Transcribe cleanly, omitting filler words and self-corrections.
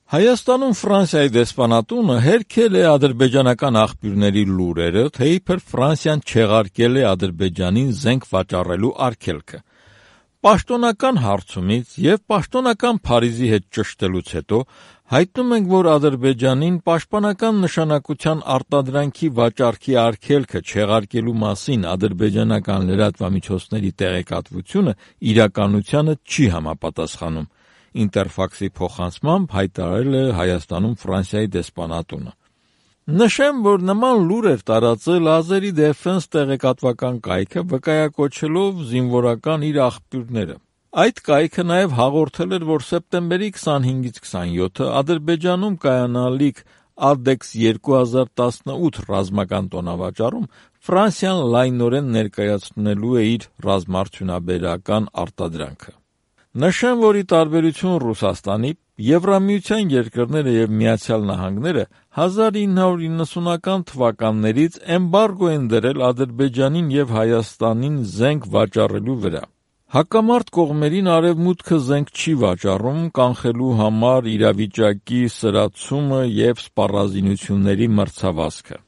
Հայաստանում Ֆրանսիայի դեսպանատունը հերքել է ադրբեջանական աղբյուրների լուրերը, թե իբր Ֆրանսիան չեղարկել է Ադրբեջանին զենք վաճառելու արգելքը։ Պաշտոնական հարցումից և պաշտոնական Փարիզի հետ ճշտելուց հետո հայտնում ենք, որ Ադրբեջանին պաշտպանական նշանակության արտադրանքի վաճառքի արգելքը չեղարկելու մասին ադրբեջանական լրատվամիջոցների տեղեկատվությունը իրականությանը չի համապատասխանում, Ինտերֆաքսի փոխանցմամբ հայտարարել է Հայաստանում Ֆրանսիայի դեսպանատունը։ Նշեմ, որ նման լուր էր տարածել Azeri Defense տեղեկատվական կայքը, վկայակոչելով զինվորական իր աղբյուրները։ Այդ կայքը նաև հաղորդել էր, որ սեպտեմբերի 25-ից 27-ը Ադրբեջանում կայանալիք Ադեքս 2018 ռազմական տոնավաճառում Ֆրանսիան լայնորեն ներկայացնելու է իր ռազմաարդյունաբերական արտադրանքը։ Նշեմ, որ ի տարբերություն Ռուսաստանի, Եվրամիության երկրները և Միացյալ Նահանգները 1990-ական թվականներից էմբարգո են դրել Ադրբեջանին և Հայաստանին զենք վաճառելու վրա։ Հակամարտ կողմերին Արևմուտքը զենք չի վաճառում կանխելու համար իրավիճակի սրացումը և սպառազինությունների մրցավազքը։